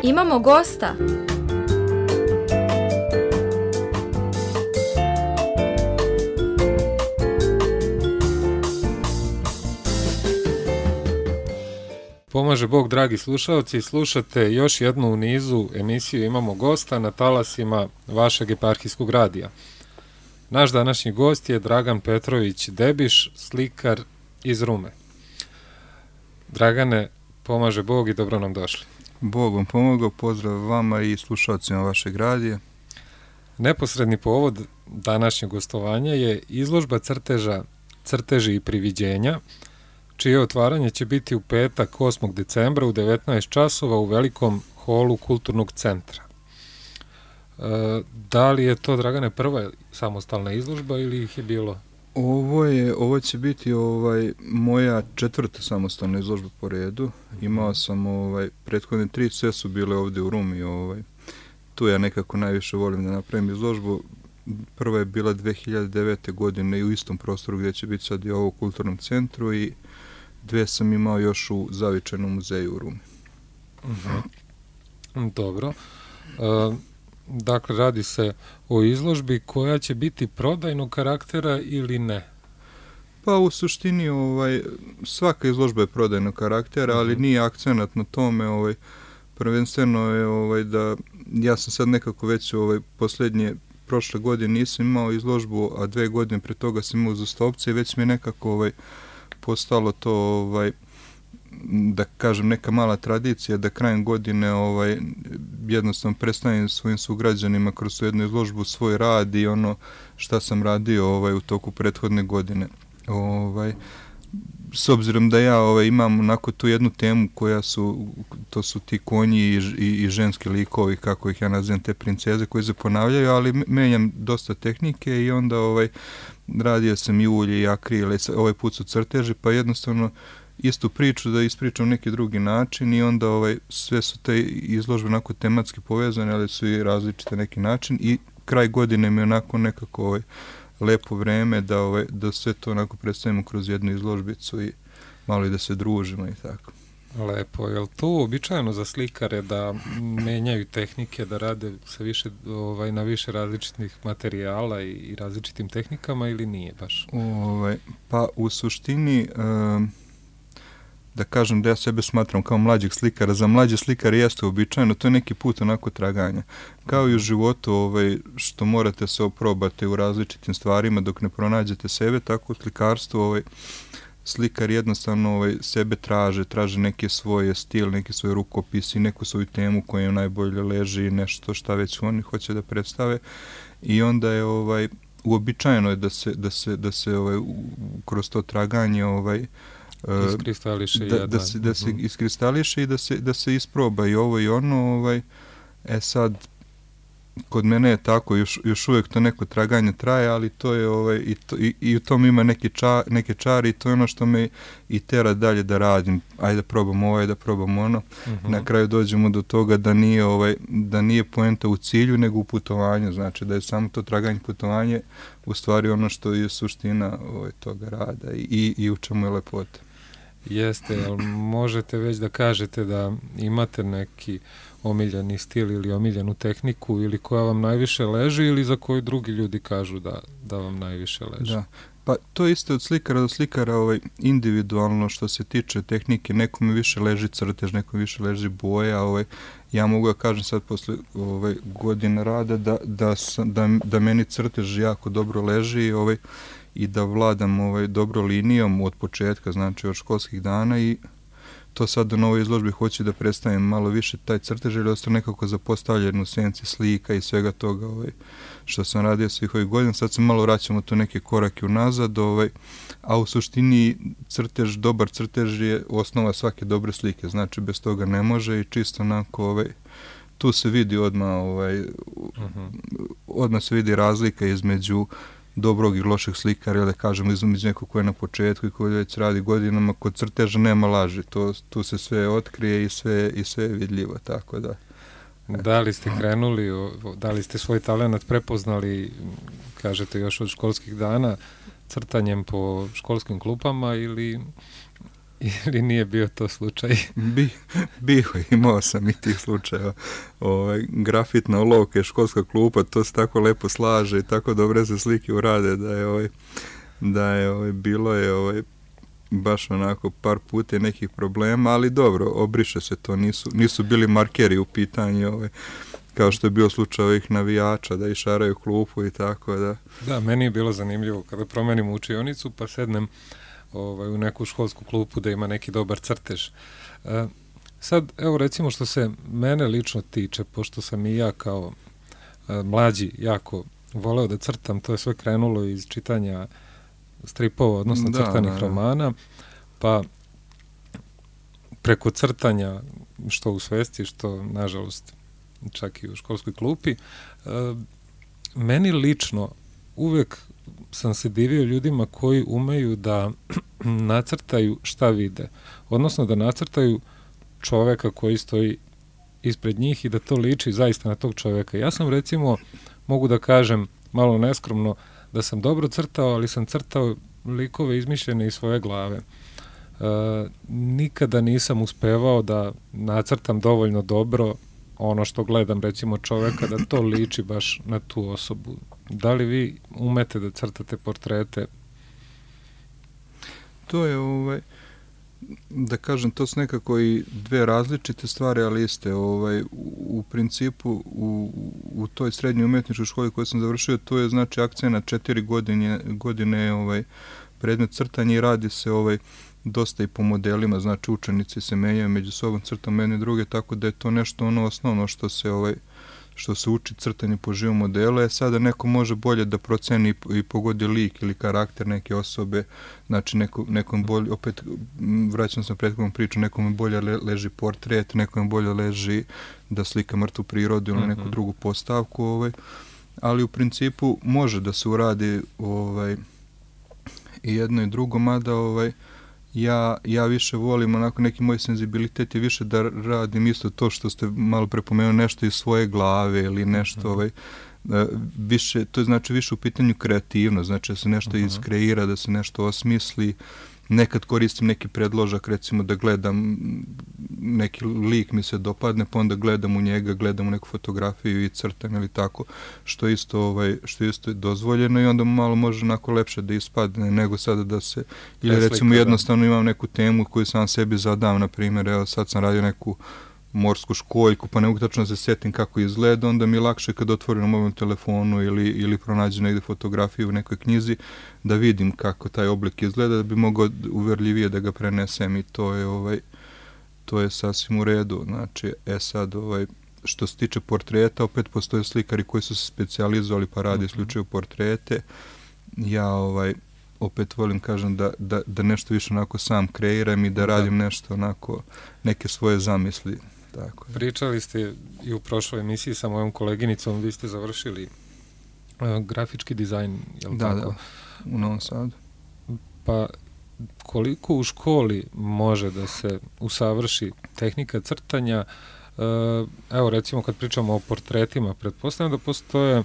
Imamo gosta. Pomaže Bog, dragi slušalci, slušate još jednu u nizu emisiju Imamo gosta na talasima vašeg eparhijskog radija. Naš današnji gost je Dragan Petrović Debiš, slikar iz Rume. Dragane, pomaže Bog i dobro nam došli. Bog vam pomogao, pozdrav vama i slušalcima vašeg radija. Neposredni povod današnjeg gostovanja je izložba crteža Crteži i priviđenja, čije otvaranje će biti u petak 8. decembra u 19 časova u velikom holu Kulturnog centra. Da li je to, Dragane, prva samostalna izložba ili ih je bilo? Ovo će biti moja četvrta samostalna izložba po redu. Imao sam prethodne 3, sve su bile ovdje u Rumi. Tu ja nekako najviše volim da napravim izložbu. Prva je bila 2009. godine i u istom prostoru gdje će biti sad i ovo u Kulturnom centru i 2 sam imao još u Zavičajnom muzeju u Rumi. Dobro. Dakle, radi se o izložbi koja će biti prodajnog karaktera ili ne? Pa u suštini svaka izložba je prodajnog karaktera, ali nije akcenat na tome. Prvenstveno je da ja sam sad nekako već prošle godine nisam imao izložbu, a 2 godine pre toga sam imao uzastopce i već mi je nekako postalo to da kažem neka mala tradicija da krajem godine jednostavno predstavim svojim sugrađanima kroz tu jednu izložbu svoj rad i ono šta sam radio u toku prethodne godine. S obzirom da ja imam onako tu jednu temu to su ti konji i ženski likovi, kako ih ja nazivam, te princeze koje se ponavljaju, ali menjam dosta tehnike i onda radio sam i ulje i akrile, ovaj put su crteži, pa jednostavno istu priču da ispričam neki drugi način i onda sve su te izložbe onako tematski povezane, ali su i različite neki način i kraj godine mi je onako nekako lepo vreme da sve to onako predstavimo kroz jednu izložbicu i malo i da se družimo i tako. Lepo, je li to uobičajeno za slikare da menjaju tehnike, da rade sa više, na više različitih materijala i različitim tehnikama ili nije baš? Pa u suštini da kažem da ja sebe smatram kao mlađeg slikara, za mlađe slikare jeste uobičajeno, to je neki put onako traganja. Kao i u životu što morate se oprobati u različitim stvarima dok ne pronađete sebe, tako u slikarstvu slikar jednostavno sebe traže neki svoj stil, neki svoj rukopis i neku svoju temu koja im najbolje leži, nešto šta već oni hoće da predstave i onda je uobičajeno je da se kroz to traganje iskristališe da se iskristališe i da se isproba i ovo i ono. Sad kod mene je tako, još uvijek to neko traganje traje, ali to je i u tom ima neke čari i to je ono što me i tera dalje da radim. Ajde da probam ovo, ajde da probam ono. Na kraju dođemo do toga da nije poenta u cilju, nego u putovanju. Znači da je samo to traganje putovanje u stvari ono što je suština toga rada i u čemu je lepota. Jeste, ali možete već da kažete da imate neki omiljeni stil ili omiljenu tehniku ili koja vam najviše leži ili za koju drugi ljudi kažu da vam najviše leži? Da, pa to isto od slikara do slikara individualno što se tiče tehnike, nekome više leži crtež, nekome više leži boja. Ja mogu da kažem sad posle godine rada da meni crtež jako dobro leži i da vladam dobro linijom od početka, znači od školskih dana i to sad u novoj izložbi hoću da predstavim malo više taj crtež ili ostao nekako zapostavljen u senci slika i svega toga što sam radio svih ovih godina. Sad se malo vraćamo tu neke korake unazad, a u suštini dobar crtež je osnova svake dobre slike, znači bez toga ne može i čisto onako tu se vidi odmah se vidi razlika između dobrog i lošeg slikara, ili da kažemo između nekog koji je na početku i koji već radi godinama. Kod crteža nema laži, tu se sve otkrije i sve je vidljivo, tako da. Da li ste krenuli, da li ste svoj talent prepoznali, kažete još od školskih dana, crtanjem po školskim klupama ili ili nije bio to slučaj? Bio, imao sam i tih slučajeva. Grafitna olovka, školska klupa, to se tako lepo slaže i tako dobre se slike urade da je bilo je baš onako par puta nekih problema, ali dobro, obriše se to, nisu bili markeri u pitanju, kao što je bio slučaj ovih navijača da išaraju klupu i tako da. Da, meni je bilo zanimljivo kada promenim učionicu pa sednem u neku školsku klupu da ima neki dobar crtež. Sad, evo recimo što se mene lično tiče, pošto sam i ja kao mlađi jako voleo da crtam, to je sve krenulo iz čitanja stripova, odnosno crtanih romana, pa preko crtanja, što u svesti, što nažalost čak i u školskoj klupi, meni lično uvek sam se divio ljudima koji umeju da nacrtaju šta vide, odnosno da nacrtaju čoveka koji stoji ispred njih i da to liči zaista na tog čoveka. Ja sam recimo, mogu da kažem malo neskromno, da sam dobro crtao, ali sam crtao likove izmišljene iz svoje glave. Nikada nisam uspevao da nacrtam dovoljno dobro ono što gledam, recimo čoveka, da to liči baš na tu osobu. Da li vi umete da crtate portrete? To je, da kažem, to su nekako i dve različite stvari, ali iste. U principu, u toj srednjoj umjetničkoj školi koju sam završio, to je znači akcenat 4 godine predmet crtanja i radi se dosta i po modelima, znači učenici se menjaju među sobom, crtam jedne druge, tako da je to nešto osnovno što se uči crtanje po živom modelu. Sada neko može bolje da proceni i pogodi lik ili karakter neke osobe, znači nekom bolje, opet vraćam se na prethodnu priču, nekom bolje leži portret, nekom bolje leži da slika mrtvu prirodu ili neku drugu postavku, ali u principu može da se uradi i jedno i drugo, mada ja više volim, onako neki moj senzibilitet je više da radim isto to što ste malo prepomenuli, nešto iz svoje glave ili nešto više, to je znači više u pitanju kreativno, znači da se nešto iskreira, da se nešto osmisli. Nekad koristim neki predložak, recimo da gledam neki lik mi se dopadne, pa onda gledam u njega, gledam u neku fotografiju i crtam ili tako, što isto je dozvoljeno i onda malo može onako lepše da ispadne nego sada da se, ili recimo jednostavno imam neku temu koju sam sebi zadam, na primjer, evo sad sam radio neku morsku školjku, pa ne mogu tačno da se sjetim kako izgleda, onda mi je lakše kad otvorim na mobilnom telefonu ili pronađem negde fotografiju u nekoj knjizi, da vidim kako taj oblik izgleda, da bi mogao uverljivije da ga prenesem i to je sasvim u redu. Znači, sad, što se tiče portreta, opet postoje slikari koji su se specijalizovali pa radi isključivo portrete. Ja opet volim, kažem, da nešto više onako sam kreiram i da radim nešto onako, neke svoje zamisli. Tako. Pričali ste i u prošloj emisiji sa mojom koleginicom, vi ste završili grafički dizajn, je li tako? Da, u Novom Sadu. Pa koliko u školi može da se usavrši tehnika crtanja? Evo recimo kad pričamo o portretima, pretpostavljam da postoje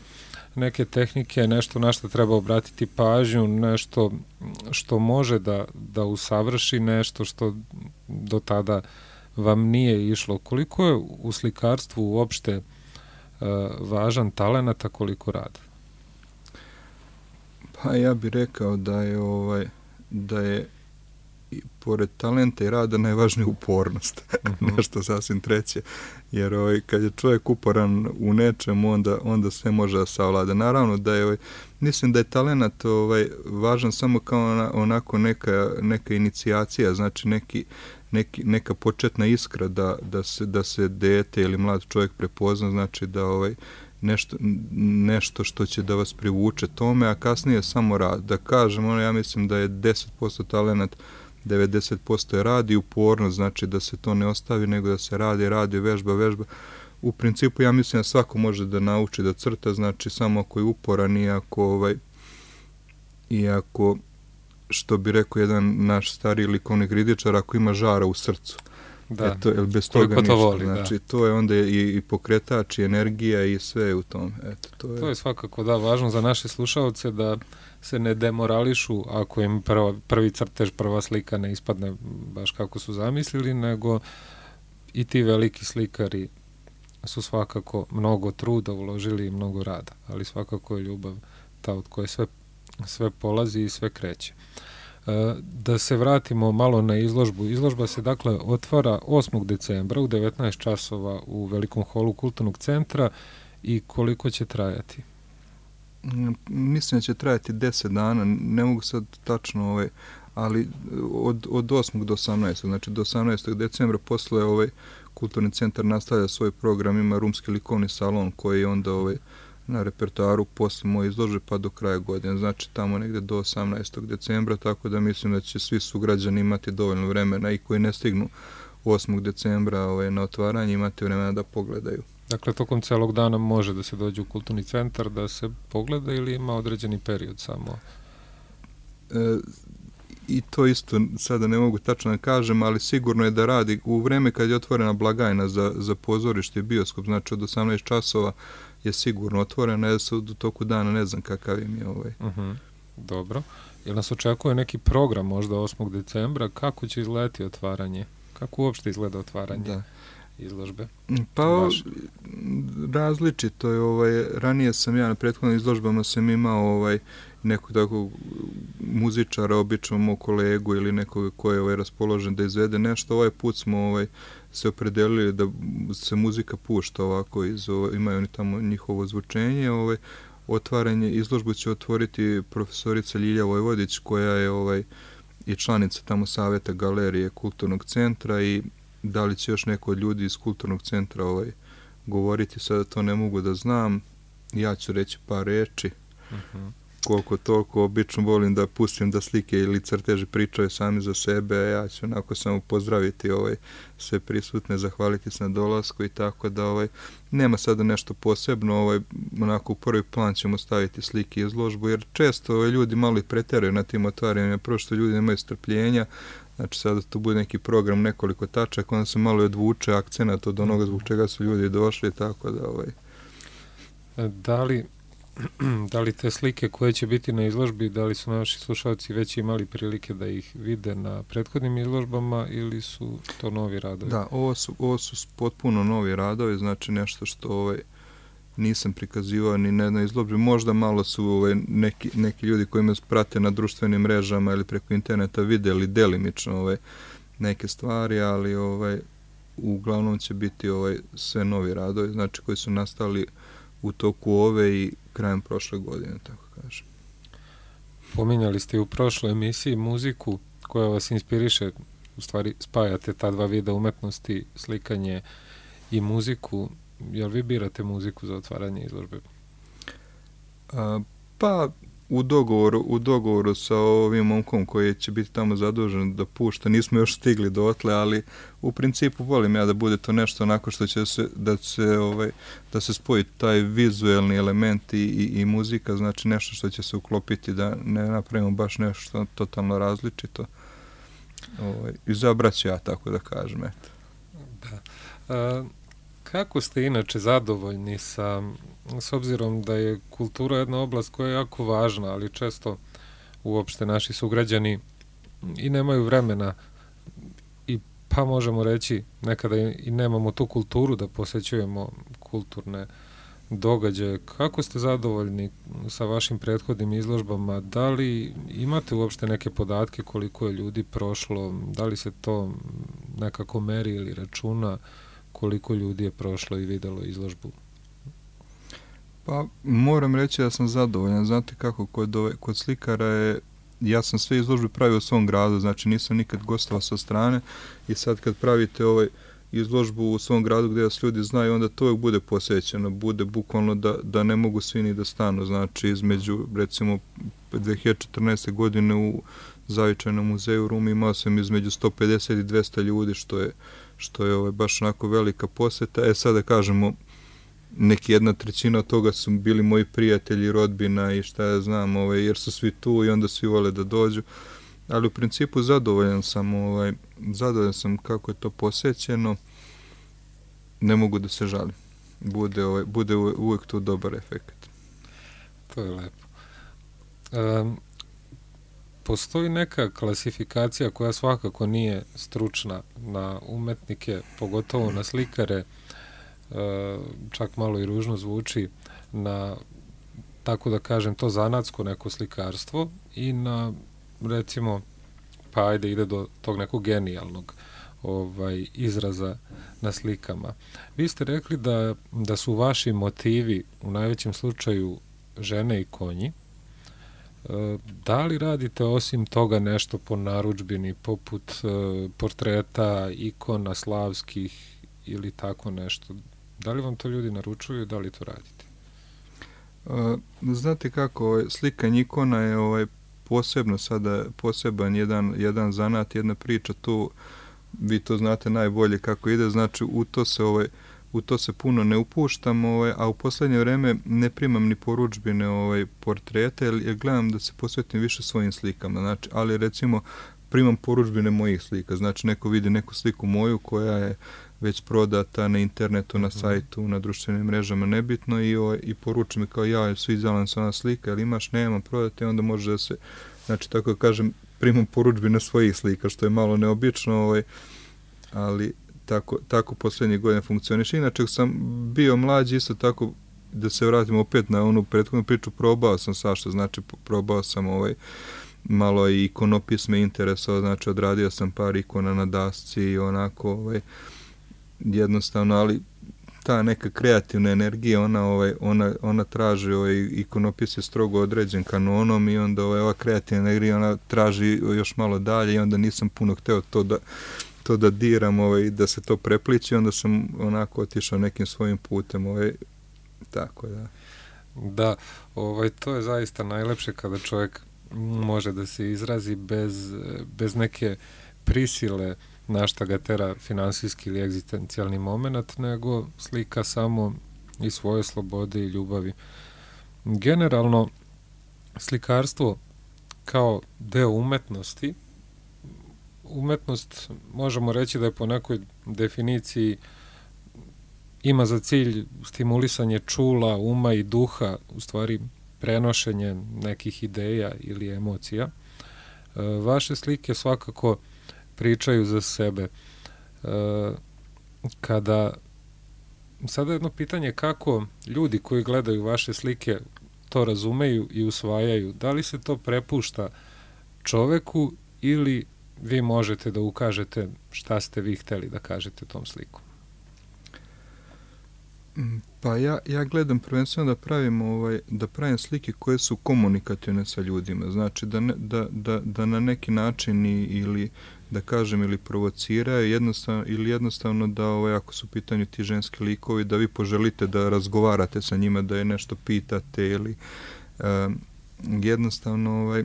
neke tehnike, nešto na što treba obratiti pažnju, nešto što može da usavrši, nešto što do tada vam nije išlo. Koliko je u slikarstvu uopšte važan talenat, a koliko rad? Pa ja bih rekao da je i pored talenta i rada najvažnija upornost. Nešto sasvim treće. Jer kad je čovjek uporan u nečemu, onda sve može da savlada. Naravno da je, mislim da je talenat važan samo kao onako neka inicijacija, znači neka početna iskra da se dete ili mlad čovjek prepozna, znači da nešto što će da vas privuče tome, a kasnije samo rad. Da kažem, ja mislim da je 10% talenat, 90% je rad i upornost, znači da se to ne ostavi, nego da se radi, vežba. U principu ja mislim da svako može da nauči da crta, znači samo ako je uporan i ako, što bi rekao jedan naš stariji likovni kritičar, ako ima žara u srcu. Da, bez toga ništa. Voli, znači, to je onda i pokretač, i energija i sve u tom. To je svakako važno za naše slušalce da se ne demorališu ako im prvi crtež, prva slika ne ispadne baš kako su zamislili, nego i ti veliki slikari su svakako mnogo truda uložili i mnogo rada, ali svakako je ljubav ta od koje sve polazi i sve kreće. Da se vratimo malo na izložbu. Izložba se dakle otvara 8. decembra u 19 časova u velikom holu Kulturnog centra i koliko će trajati? Mislim da će trajati 10 dana, ne mogu sad tačno, ali od 8. do 18. Znači do 18. decembra posle Kulturni centar nastavlja svoj program, ima rumski likovni salon koji je onda na repertoaru posle moje izložbe pa do kraja godine, znači tamo negde do 18. decembra, tako da mislim da će svi sugrađani imati dovoljno vremena i koji ne stignu 8. decembra na otvaranje imati vremena da pogledaju. Dakle, tokom celog dana može da se dođe u Kulturni centar da se pogleda ili ima određeni period samo? I to isto sada ne mogu tačno da kažem, ali sigurno je da radi u vreme kad je otvorena blagajna za pozorište i bioskop, znači od 18 časova je sigurno otvorena, ja se u toku dana ne znam kakav im je Dobro. Jel nas očekuje neki program možda 8. decembra? Kako će izgledati otvaranje? Kako uopšte izgleda otvaranje izložbe? Pa različito je. Ranije sam ja na prethodnim izložbama sam imao nekog takvog muzičara, obično moj kolegu ili nekog ko je raspoložen da izvede nešto. Ovaj put smo se opredelili da se muzika pušta ovako, imaju oni tamo njihovo zvučenje. Otvaranje izložbu će otvoriti profesorica Ljilja Vojvodić, koja je i članica tamo saveta galerije Kulturnog centra, i da li će još neko od ljudi iz Kulturnog centra govoriti, sada to ne mogu da znam. Ja ću reći par reči. Koliko toliko, obično volim da pustim da slike ili crteži pričaju sami za sebe, a ja ću onako samo pozdraviti sve prisutne, zahvaliti se na dolasku i tako da nema sada nešto posebno, onako u prvi plan ćemo staviti slike i izložbu, jer često ljudi malo i preteraju na tim otvaranjima, prvo što ljudi nemaju strpljenja, znači sada to bude neki program, nekoliko tačaka, onda se malo i odvuče akcenat od onoga zbog čega su ljudi došli, tako da Da li te slike koje će biti na izložbi, da li su naši slušalci već imali prilike da ih vide na prethodnim izložbama ili su to novi radovi? Da, ovo su potpuno novi radovi, znači nešto što nisam prikazivao ni na jednoj izložbi. Možda malo su neki ljudi koji me prate na društvenim mrežama ili preko interneta videli delimično neke stvari, ali uglavnom će biti sve novi radovi, znači koji su nastali u toku ove i krajem prošle godine, tako kažem. Pominjali ste u prošloj emisiji muziku koja vas inspiriše, u stvari spajate ta dva vida umetnosti, slikanje i muziku. Jel vi birate muziku za otvaranje izložbe? Pa u dogovoru sa ovim momkom koji će biti tamo zadužen da pušta, nismo još stigli dotle, ali u principu volim ja da bude to nešto onako što će da se spoji taj vizuelni element i muzika, znači nešto što će se uklopiti, da ne napravimo baš nešto totalno različito. Izabrat ću ja, tako da kažem, eto. Da. Kako ste inače zadovoljni s obzirom da je kultura jedna oblast koja je jako važna, ali često uopšte naši sugrađani i nemaju vremena i pa možemo reći nekada i nemamo tu kulturu da posećujemo kulturne događaje. Kako ste zadovoljni sa vašim prethodnim izložbama? Da li imate uopšte neke podatke koliko je ljudi prošlo? Da li se to nekako meri ili računa? Koliko ljudi je prošlo i videlo izložbu? Pa moram reći da sam zadovoljan. Znate kako, kod slikara ja sam sve izložbe pravio u svom gradu, znači nisam nikad gostovao sa strane, i sad kad pravite izložbu u svom gradu gdje vas ljudi znaju, onda to uvijek bude posvećeno, bude bukvalno da ne mogu svi ni da stanu, znači između recimo 2014. godine u Zavičajnom muzeju u Rumi imao sam između 150 i 200 ljudi, što je baš onako velika poseta. Sada kažemo, neki 1/3 od toga su bili moji prijatelji, rodbina i šta ja znam, jer su svi tu i onda svi vole da dođu, ali u principu zadovoljan sam kako je to posećeno, ne mogu da se žalim, bude uvijek tu dobar efekt. To je lepo. Postoji neka klasifikacija koja svakako nije stručna na umetnike, pogotovo na slikare, čak malo i ružno zvuči, na, tako da kažem, to zanatsko neko slikarstvo i na, recimo, pa ajde ide do tog nekog genijalnog izraza na slikama. Vi ste rekli da su vaši motivi u najvećem slučaju žene i konji. Da li radite osim toga nešto po narudžbini, poput portreta, ikona slavskih ili tako nešto? Da li vam to ljudi naručuju i da li to radite? Znate kako, slikanje ikona je posebno sada, poseban jedan zanat, jedna priča tu, vi to znate najbolje kako ide, znači u to se puno ne upuštam, a u poslednje vreme ne primam ni porudžbine portrete, jer gledam da se posvetim više svojim slikama, znači, ali recimo primam porudžbine mojih slika, znači neko vidi neku sliku moju koja je već prodata na internetu, na sajtu, na društvenim mrežama, nebitno, i poruči mi kao ja, sviđala se ona slika, ali imaš, nemam, prodati, onda može da se, znači tako da kažem, primam porudžbine svojih slika, što je malo neobično, ali tako poslednjih godina funkcioniše. Inače, sam bio mlađi, isto tako, da se vratim opet na onu prethodnu priču, probao sam svašta, znači probao sam malo i ikonopisme interesovao, znači odradio sam par ikona na dasci i onako jednostavno, ali ta neka kreativna energija, ona traži, ikonopis je strogo određen kanonom i onda ova kreativna energija, ona traži još malo dalje i onda nisam puno hteo to da diram, da se to prepliči, onda sam onako otišao nekim svojim putem, tako da. Da, to je zaista najlepše kada čovjek može da se izrazi bez neke prisile na šta ga tera finansijski ili egzistencijalni moment, nego slika samo i svoje slobode i ljubavi. Generalno, slikarstvo kao deo umetnosti, umetnost možemo reći da je po nekoj definiciji ima za cilj stimulisanje čula, uma i duha, u stvari prenošenje nekih ideja ili emocija. Vaše slike svakako pričaju za sebe. Sada jedno pitanje, kako ljudi koji gledaju vaše slike to razumeju i usvajaju? Da li se to prepušta čoveku ili vi možete da ukažete šta ste vi hteli da kažete tom slikom? Pa ja gledam prvenstveno da pravim slike koje su komunikativne sa ljudima, znači da na neki način ili da kažem ili provociraju jednostavno da ako su u pitanju ti ženski likovi, da vi poželite da razgovarate sa njima, da je nešto pitate ili jednostavno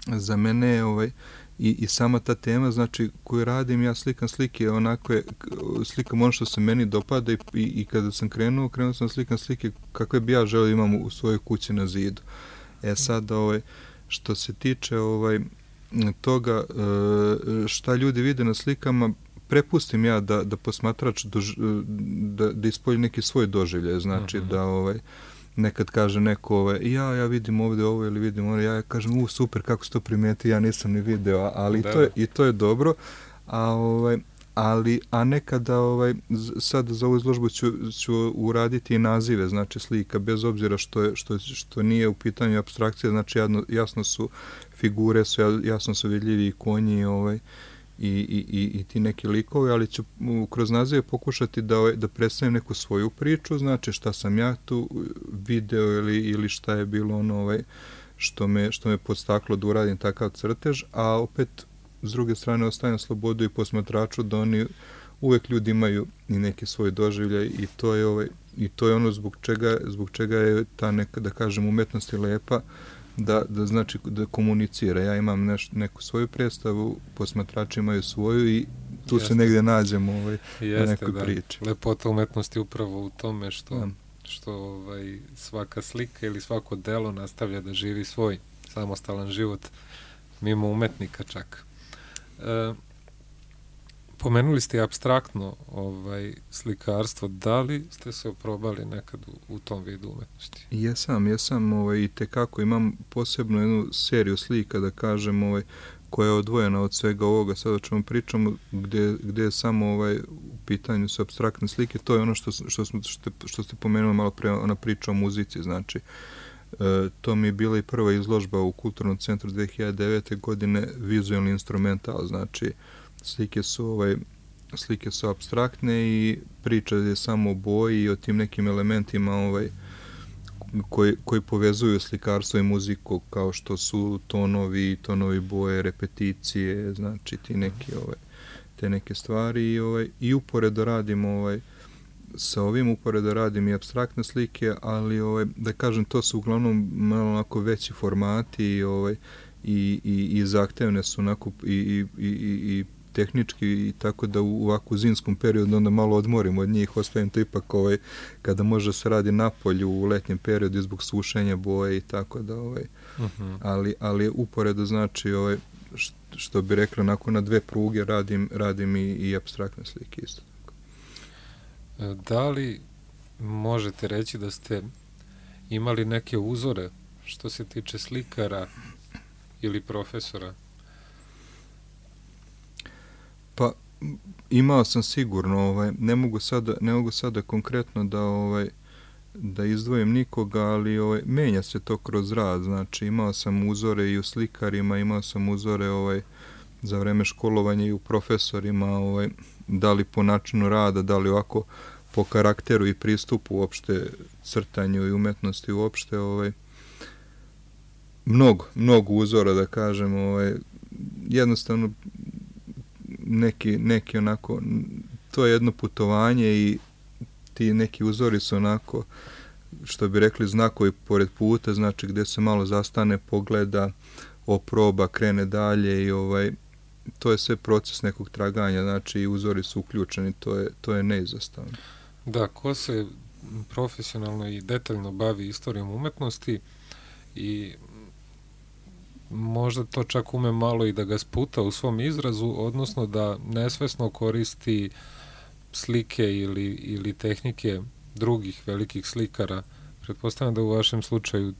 za mene i sama ta tema, znači koju radim, ja slikam slike, slikam ono što se meni dopada i kada sam krenuo sam slikam slike kakve bi ja želeo imam u svojoj kući na zidu. Sad, što se tiče toga šta ljudi vide na slikama, prepustim ja da posmatrač da ispolji neki svoj doživljaj, znači da nekad kaže neko, ja vidim ovdje ovo ili vidim ovo, ja kažem, super, kako se to primijeti, ja nisam ni video, ali to je dobro, a nekada sad za ovu izložbu ću uraditi i nazive, znači slika, bez obzira što nije u pitanju apstrakcija, znači jasno su figure, jasno su vidljivi i konji i ti neki likovi, ali ću kroz nazive pokušati da predstavim neku svoju priču, znači šta sam ja tu video ili šta je bilo što me podstaklo da uradim takav crtež, a opet s druge strane ostavljam slobodu i posmatraču da oni uvek ljudi imaju i neki svoj doživljaj i to je ono zbog čega je ta neka, da kažem, umetnost je lepa, da znači da komunicira. Ja imam neku svoju predstavu, posmatrači imaju svoju i tu se negdje nađemo na nekoj priči. Lepota umetnosti upravo u tome što svaka slika ili svako delo nastavlja da živi svoj samostalan život mimo umetnika čak. Pomenuli ste apstraktno slikarstvo. Da li ste se oprobali nekad u tom vidu umetnosti? Jesam, i tekako imam posebno jednu seriju slika, da kažem, koja je odvojena od svega ovoga, sad o čemu pričamo, gdje je samo u pitanju su apstraktne slike. To je ono što ste pomenuli malo pre, ona priča o muzici, znači. To mi je bila i prva izložba u Kulturnom centru 2009. godine, vizualni instrumental, znači slike su apstraktne i priča je samo o boji i o tim nekim elementima koji povezuju slikarstvo i muziku, kao što su tonovi boje, repeticije, znači te neke stvari i uporedo radim sa ovim, uporedo radim i apstraktne slike, ali da kažem, to su uglavnom malo onako veći formati i zahtevne su onako i tehnički, i tako da u ovakvu zimskom periodu onda malo odmorim od njih, ostavim to ipak kada može se radi napolju u letnjem periodu zbog sušenja boje i tako da ali uporedo znači što bi rekla, onako na dve pruge radim i apstraktne slike isto tako. Da li možete reći da ste imali neke uzore što se tiče slikara ili profesora? Pa imao sam sigurno, ne mogu sada konkretno da izdvojim nikoga, ali menja se to kroz rad, znači imao sam uzore i u slikarima, imao sam uzore za vreme školovanja i u profesorima, da li po načinu rada, da li ovako po karakteru i pristupu uopšte crtanju i umetnosti uopšte, mnogo uzora, da kažem, jednostavno neki onako, to je jedno putovanje i ti neki uzori su onako, što bi rekli, znakovi pored puta, znači gdje se malo zastane, pogleda, oproba, krene dalje i to je sve proces nekog traganja, znači i uzori su uključeni, to je neizostavno. Da, ko se profesionalno i detaljno bavi istorijom umetnosti i možda to čak ume malo i da ga sputa u svom izrazu, odnosno da nesvesno koristi slike ili tehnike drugih velikih slikara. Pretpostavljam da u vašem slučaju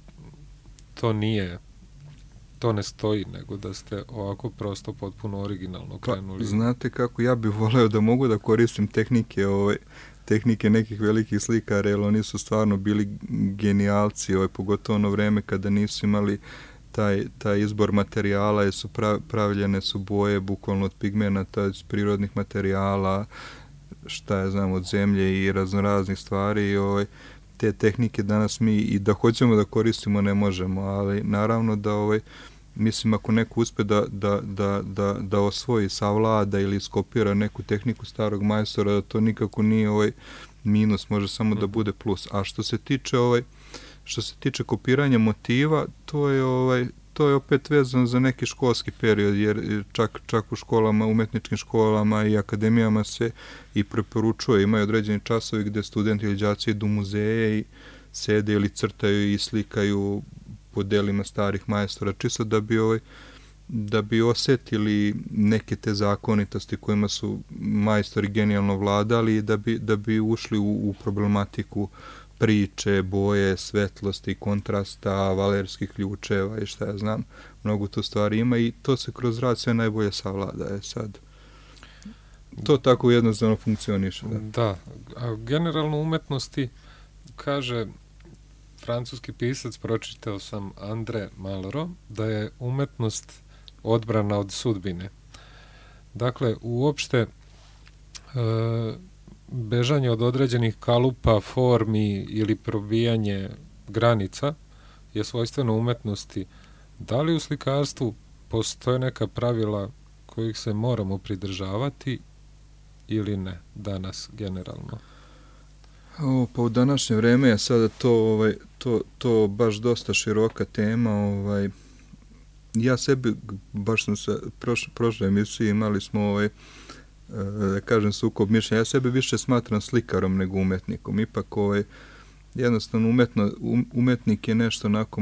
to ne stoji, nego da ste ovako prosto potpuno originalno krenuli. Pa, znate kako, ja bih voleo da mogu da koristim tehnike nekih velikih slikara, jer oni su stvarno bili genijalci, pogotovo ono vreme kada nisu imali taj izbor materijala, jer su pravljene su boje bukvalno od pigmenata, iz prirodnih materijala, šta ja znam, od zemlje i raznoraznih stvari. Te tehnike danas mi i da hoćemo da koristimo ne možemo, ali naravno da mislim ako neko uspe da osvoji, savlada ili skopira neku tehniku starog majstora, da to nikako nije minus, može samo da bude plus. A što se tiče kopiranja motiva, to je opet vezano za neki školski period, jer čak u školama, umetničkim školama i akademijama se i preporučuje, imaju određeni časovi gde studenti ili đaci idu u muzeje i sede ili crtaju i slikaju po delima starih majstora, čisto da bi osetili neke te zakonitosti kojima su majstori genijalno vladali i da bi ušli u problematiku priče, boje, svetlosti, kontrasta, valerskih ključeva i šta ja znam, mnogo tu stvari ima i to se kroz rad sve najbolje savlada. Sad, to tako jednostavno funkcioniše. Da, a generalno umetnosti, kaže francuski pisac, pročitao sam André Malraux, da je umetnost odbrana od sudbine. Dakle, uopšte bežanje od određenih kalupa, formi ili probijanje granica je svojstveno umetnosti. Da li u slikarstvu postoje neka pravila kojih se moramo pridržavati ili ne danas generalno? Pa u današnje vreme je sada to baš dosta široka tema. Ja sebi, baš sam se prošle emisije imali smo da kažem sukob mišljenja. Ja sebe više smatram slikarom nego umetnikom. Ipak jednostavno umetnik je nešto onako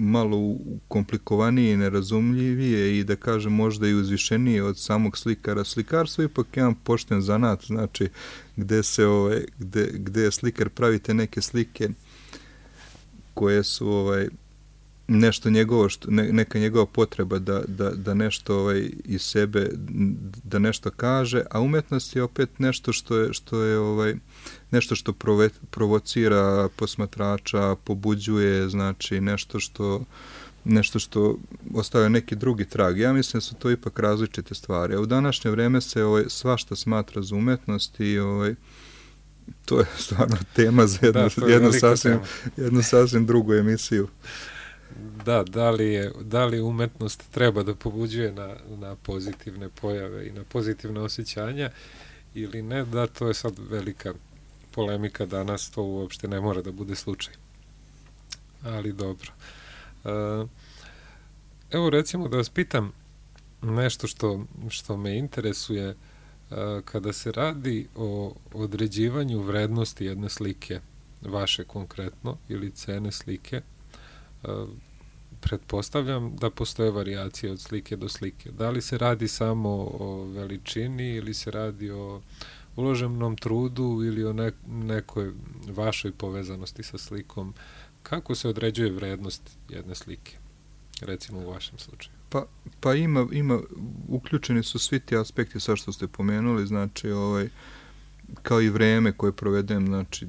malo komplikovanije i nerazumljivije i da kažem možda i uzvišenije od samog slikara. Slikarstvo je ipak jedan pošten zanat, znači gde slikar pravite neke slike koje su nešto njegovo, neka njegova potreba da nešto iz sebe, da nešto kaže, a umetnost je opet nešto što je nešto što provocira posmatrača, pobuđuje, znači nešto što ostavlja neki drugi trag. Ja mislim da su to ipak različite stvari. A u današnje vreme se svašta smatra za umetnost i to je stvarno tema za jednu sasvim drugu emisiju. Da, da li umetnost treba da pobuđuje na pozitivne pojave i na pozitivne osjećanja ili ne, da, to je sad velika polemika danas, to uopšte ne mora da bude slučaj. Ali dobro. Evo recimo da vas pitam nešto što me interesuje kada se radi o određivanju vrednosti jedne slike, vaše konkretno, ili cene slike. Pretpostavljam da postoje varijacije od slike do slike. Da li se radi samo o veličini ili se radi o uloženom trudu ili o nekoj vašoj povezanosti sa slikom? Kako se određuje vrednost jedne slike, recimo u vašem slučaju? Pa ima, uključeni su svi ti aspekti sa što ste pomenuli, znači kao i vreme koje provedem, znači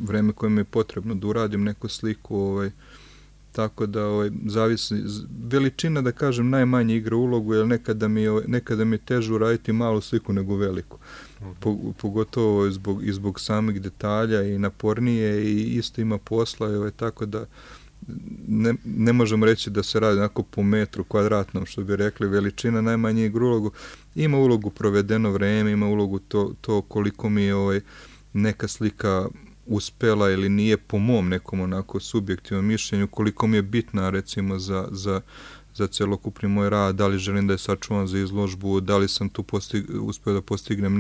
vreme koje mi je potrebno da uradim neku sliku, tako da zavisi, veličina da kažem najmanje igra ulogu, jer nekada mi je teže uraditi malu sliku nego veliku. Pogotovo zbog samih detalja i napornije i isto ima posla, tako da ne možemo reći da se radi onako po metru kvadratnom, što bi rekli, veličina najmanje igra ulogu. Ima ulogu provedeno vreme, ima ulogu to koliko mi je neka slika uspela ili nije po mom nekom onako subjektivnom mišljenju, koliko mi je bitna recimo za celokupni moj rad, da li želim da je sačuvam za izložbu, da li sam tu uspeo da postignem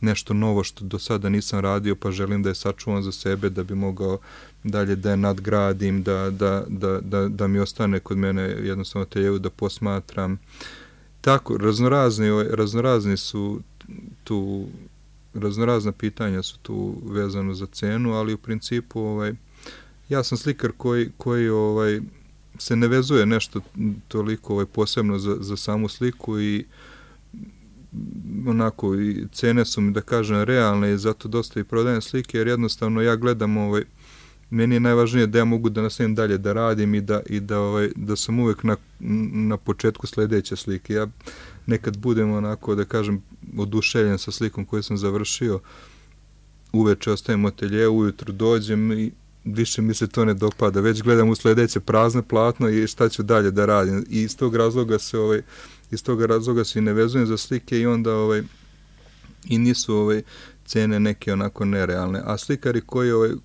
nešto novo što do sada nisam radio, pa želim da je sačuvam za sebe, da bi mogao dalje da je nadgradim, da mi ostane kod mene jednostavno ateljevu da posmatram. Tako, raznorazni su tu, raznorazna pitanja su tu vezano za cenu, ali u principu ja sam slikar koji se ne vezuje nešto toliko posebno za samu sliku i onako i cene su mi da kažem realne i zato dosta i prodajem slike jer jednostavno ja gledam meni je najvažnije da ja mogu da nastavim dalje da radim i da sam uvek na početku sledeće slike. Ja nekad budem onako da kažem oduševljen sa slikom koju sam završio, uveče ostajem u ateljevu, ujutru dođem i više mi se to ne dopada, već gledam u sledeće prazno platno i šta ću dalje da radim i iz tog razloga se i ne vezujem za slike i onda i nisu cene neke onako nerealne, a slikari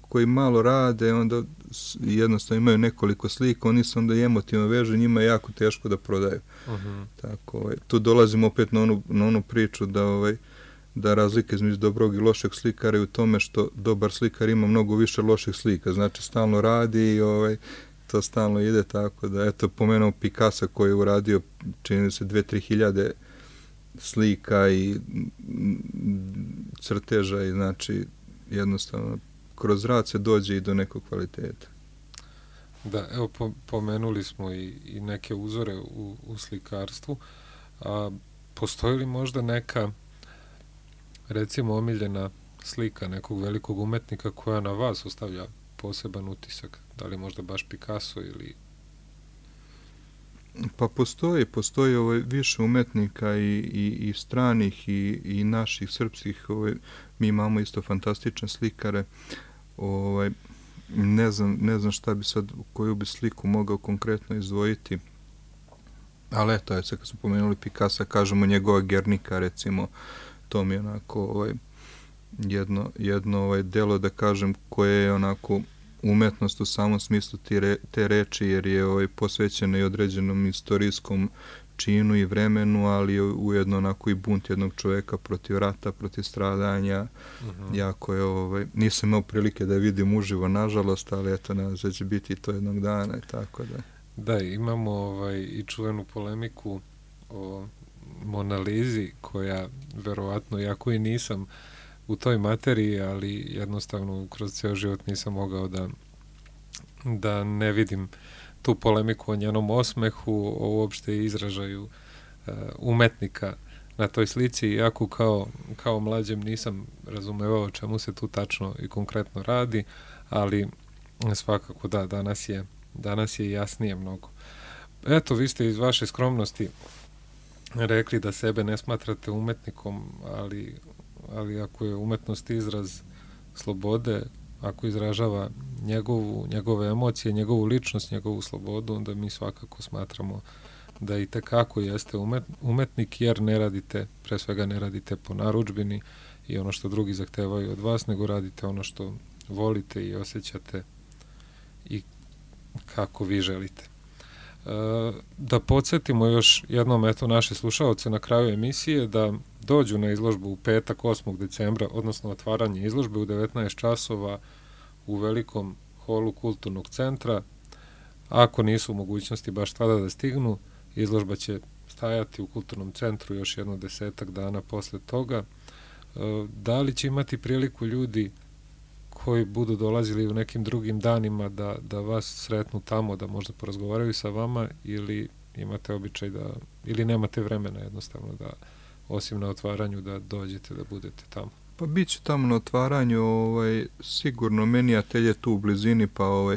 koji malo rade, onda jednostavno imaju nekoliko slika, oni se onda i emotivno vežu, njima je jako teško da prodaju. Tako, tu dolazimo opet na onu priču da razlika između dobrog i lošeg slikara je u tome što dobar slikar ima mnogo više loših slika, znači stalno radi i to stalno ide, tako da, eto, pomenuo Picasso koji je uradio, čini se, 2-3 hiljade slika i crteža i znači jednostavno kroz rad se dođe i do nekog kvaliteta. Da, evo pomenuli smo i neke uzore u slikarstvu, a postoji li možda neka recimo omiljena slika nekog velikog umetnika koja na vas ostavlja poseban utisak? Da li možda baš Picasso ili... Pa postoji više umetnika i stranih i naših srpskih, mi imamo isto fantastične slikare, ne znam šta bi sad, koju bi sliku mogao konkretno izdvojiti, ali eto, sad kad smo pomenuli Picasso, kažemo njegova Gernika, recimo, to mi je onako jedno delo, da kažem, koje je onako umetnost u samom smislu te reči, jer je posvećena i određenom istorijskom činu i vremenu, ali ujedno onako i bunt jednog čovjeka protiv rata, protiv stradanja. Jako je, nisam imao prilike da je vidim uživo, nažalost, ali eto, nadam se da će biti to jednog dana i tako da. Da, imamo i čuvenu polemiku o Mona Lisi, koja verovatno, iako i nisam u toj materiji, ali jednostavno kroz ceo život nisam mogao da ne vidim tu polemiku o njenom osmehu, o uopšte izražaju umetnika na toj slici, iako kao mlađem nisam razumevao o čemu se tu tačno i konkretno radi, ali svakako da, danas je jasnije mnogo. Eto, vi ste iz vaše skromnosti rekli da sebe ne smatrate umetnikom, ali ako je umetnost izraz slobode, ako izražava njegove emocije, njegovu ličnost, njegovu slobodu, onda mi svakako smatramo da i tekako jeste umetnik, jer pre svega ne radite po narudžbini i ono što drugi zahtevaju od vas, nego radite ono što volite i osjećate i kako vi želite. Da podsjetimo još jednom naše slušaoce na kraju emisije da dođu na izložbu u petak 8. decembra, odnosno otvaranje izložbe u 19 časova u velikom holu kulturnog centra. Ako nisu u mogućnosti baš tada da stignu, izložba će stajati u kulturnom centru još jedno 10 dana posle toga. Da li će imati priliku ljudi koji budu dolazili u nekim drugim danima da vas sretnu tamo, da možda porazgovaraju sa vama, ili imate običaj ili nemate vremena jednostavno da, osim na otvaranju, da dođete, da budete tamo? Pa bit će tamo na otvaranju, sigurno, meni atelje je tu u blizini, pa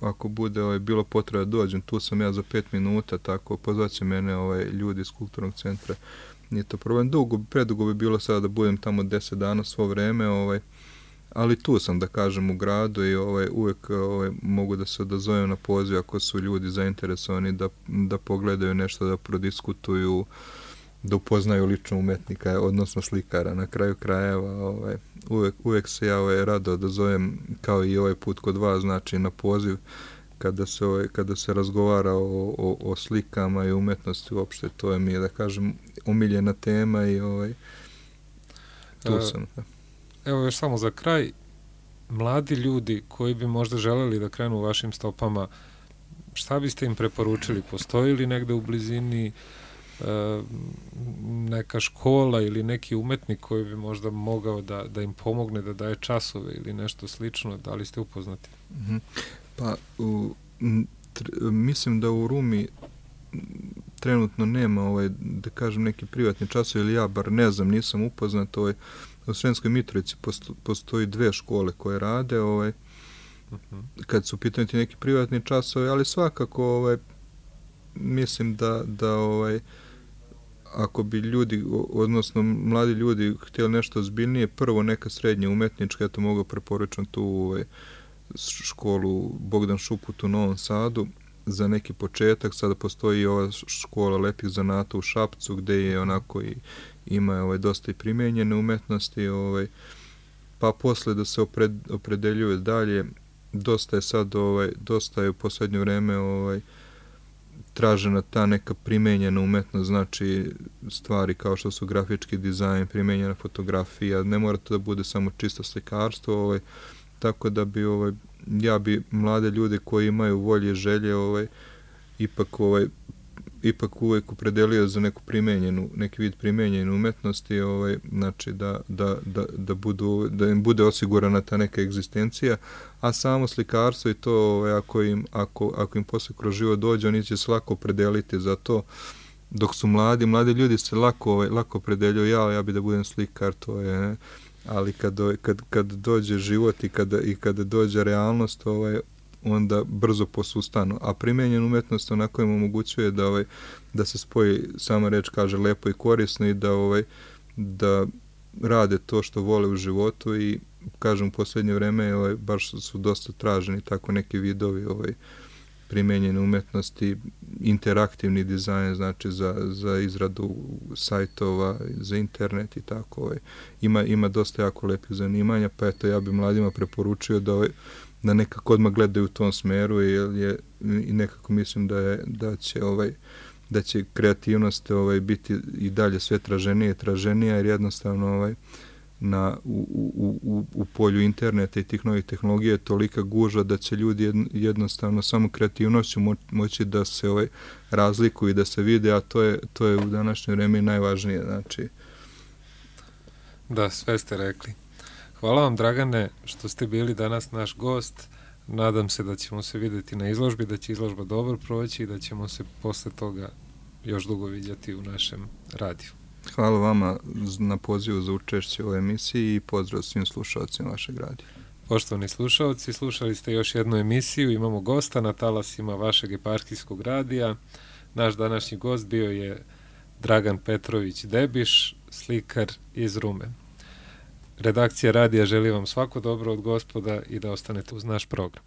ako bude bilo potreba da dođem, tu sam ja za 5 minuta, tako pozvaće mene ljudi iz kulturnog centra. Nije to problem, predugo bi bilo sada da budem tamo 10 dana svo vreme, ali tu sam, da kažem, u gradu i uvek mogu da se odazovem na poziv ako su ljudi zainteresovani da pogledaju nešto, da prodiskutuju, da upoznaju lično umetnika, odnosno slikara. Na kraju krajeva uvek se ja rado odazovem, kao i ovaj put kod vas, znači na poziv kada se razgovara o slikama i umetnosti uopšte, to je mi je, da kažem, omiljena tema i tu sam. Evo još samo za kraj, mladi ljudi koji bi možda želeli da krenu vašim stopama, šta biste im preporučili? Postoji li negde u blizini neka škola ili neki umetnik koji bi možda mogao da im pomogne, da daje časove ili nešto slično? Da li ste upoznati? Pa, mislim da u Rumi trenutno nema, da kažem, neki privatni časov, ili ja bar ne znam, nisam upoznat. U Sremskoj Mitrovici postoji 2 škole koje rade, kad su pitani neki privatni časovi, ali svakako mislim da ako bi ljudi, odnosno mladi ljudi htjeli nešto ozbiljnije, prvo neka srednja umetnička, ja to mogu preporučiti tu školu Bogdan Šuput u Novom Sadu za neki početak. Sada postoji ova škola lepih zanata u Šapcu, gde je onako i ima dosta i primijenjene umetnosti, pa posle da se opredeljuje dalje. Dosta je sad, dosta je u posljednje vreme tražena ta neka primijenjena umetnost, znači stvari kao što su grafički dizajn, primijenjena fotografija, ne mora to da bude samo čisto slikarstvo, tako da bi ja bi mlade ljude koji imaju volje i želje ipak uvek opredelio za neki vid primijenjene umetnosti, znači da im bude osigurana ta neka egzistencija, a samo slikarstvo i to, ako im posle kroz život dođe, oni će se lako opredeliti za to. Dok su mladi ljudi se lako opredeljuju, ja bi da budem slikar, to je, ali kad dođe život i kada dođe realnost, onda brzo posustanu. A primijenjena umetnost onako im omogućuje da se spoji, sama reč kaže, lepo i korisno i da rade to što vole u životu i, kažem, u posljednje vreme baš su dosta traženi tako neki vidovi primijenjene umetnosti, interaktivni dizajn, znači za izradu sajtova, za internet i tako. Ima dosta jako lepih zanimanja, pa eto, ja bi mladima preporučio da nekako odmah gledaju u tom smeru, i nekako mislim da će da će kreativnost biti i dalje sve traženija, jer jednostavno u polju interneta i tih novih tehnologija je tolika gužva da će ljudi jednostavno samo kreativnošću moći da se razlikuju i da se vide, a to je u današnje vreme najvažnije. Znači. Da, sve ste rekli. Hvala vam, Dragane, što ste bili danas naš gost. Nadam se da ćemo se vidjeti na izložbi, da će izložba dobro proći i da ćemo se posle toga još dugo vidjeti u našem radiju. Hvala vama na pozivu za učešće u ovoj emisiji i pozdrav svim slušalcima vašeg radija. Poštovani slušalci, slušali ste još jednu emisiju, imamo gosta na talasima vašeg eparhijskog radija. Naš današnji gost bio je Dragan Petrović Debiš, slikar iz Rume. Redakcija radija želi vam svako dobro od Gospoda i da ostanete uz naš program.